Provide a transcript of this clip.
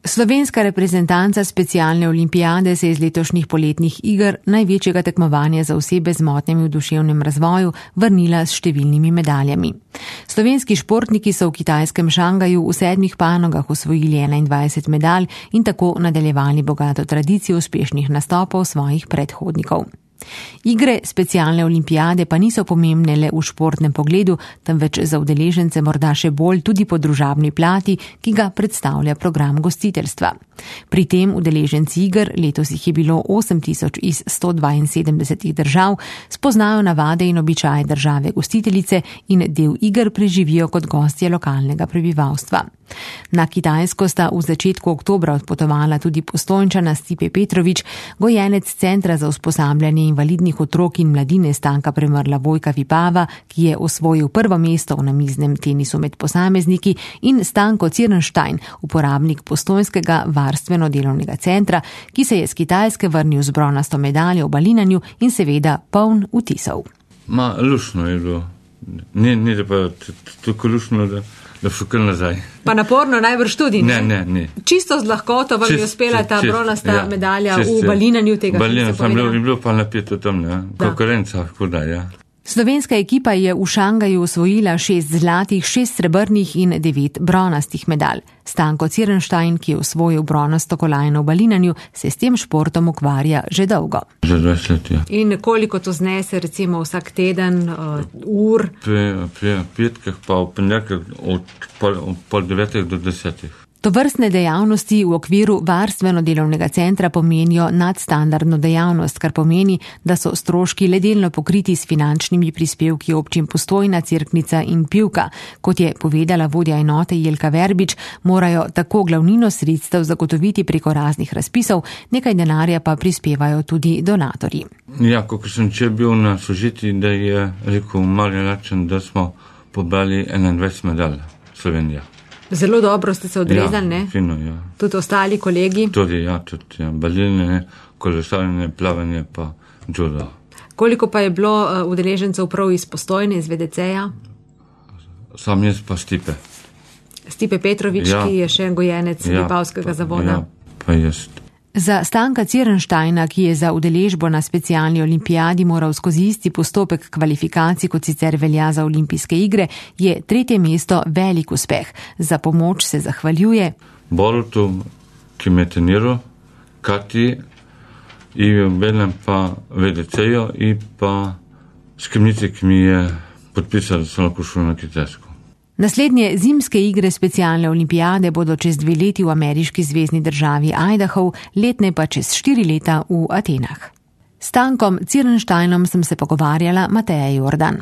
Slovenska reprezentanca specialne olimpijade se je iz letošnjih poletnih iger, največjega tekmovanja za osebe z motnjami v duševnem razvoju, vrnila s številnimi medaljami. Slovenski športniki so v kitajskem Šangaju v 7 panogah osvojili 21 medalj in tako nadaljevali bogato tradicijo uspešnih nastopov svojih predhodnikov. Igre specialne olimpijade pa niso pomembne le v športnem pogledu, temveč za udeležence morda še bolj tudi po družabni plati, ki ga predstavlja program gostiteljstva. Pri tem udeleženci iger, letos jih je bilo 8000 iz 172 držav, spoznajo navade in običaje države gostiteljice in del iger preživijo kot gostje lokalnega prebivalstva. Na Kitajsko sta v začetku oktobra odpotovala tudi Postojnčana Stipe Petrovič, gojenec Centra za usposabljanje invalidnih otrok in mladine Stanka Premrla Vojka Vipava, ki je osvojil prvo mesto v namiznem tenisu med posamezniki, in Stanko Cirnštajn, uporabnik postojnskega varstveno-delovnega centra, ki se je z Kitajske vrnil z bronasto medaljo v balinanju in seveda poln vtisov. Lušno je bilo. Ni da pa tako lušno, da šukal nazaj. Pa naporno najbrž tudi, ne? Ne. Čisto z lahkoto vam je uspela ta bronasta medalja v balinanju tega, Balina, je bilo pa napeto tam, konkurenca, huda, ja. Slovenska ekipa je v Šangaju osvojila 6 zlatih, 6 srebrnih in 9 bronastih medalj. Stanko Cirnštajn, ki je osvojil bronasto kolajno v balinanju, se s tem športom ukvarja že dolgo. Že 20 let, ja. In koliko to znese, recimo vsak teden, ur? Pri petkah pa v ponedeljkih od pol 9 do 10. Tovrstne dejavnosti v okviru varstveno-delovnega centra pomenijo nadstandardno dejavnost, kar pomeni, da so stroški le delno pokriti s finančnimi prispevki občin Postojna, Cerknica in Pivka. Kot je povedala vodja enote Jelka Verbič, morajo tako glavnino sredstev zagotoviti preko raznih razpisov, nekaj denarja pa prispevajo tudi donatorji. Ja, kot sem bil na sožitji, da je rekel mali način, da smo pobrali 21 medalj Slovenija. Zelo dobro ste se odrezali, ne? Fino, ja. Tudi ostali kolegi? Tudi, ja. Balinanje, kolesarjenje, plavanje pa judo. Koliko pa je bilo udeležencev prav iz Postojne, iz VDC-ja? Sam jaz pa Stipe. Stipe Petrovič, ja, ki je še gojenec Vipavskega zavoda. Ja, pa jaz. Za Stanka Cirnštajna, ki je za udeležbo na specialni olimpijadi moral skozi isti postopek kvalifikacij, kot sicer velja za olimpijske igre, je 3. mesto velik uspeh. Za pomoč se zahvaljuje Borutu, ki me treniral, Kati, in Belem pa VDC-jo in pa skrbnici, ki mi je podpisal, da sem lahko šel na Kitajsko. Naslednje zimske igre specialne olimpijade bodo čez 2 leti v ameriški zvezni državi Idaho, letne pa čez 4 leta v Atenah. S Stankom Cirnštajnom sem se pogovarjala Mateja Jordan.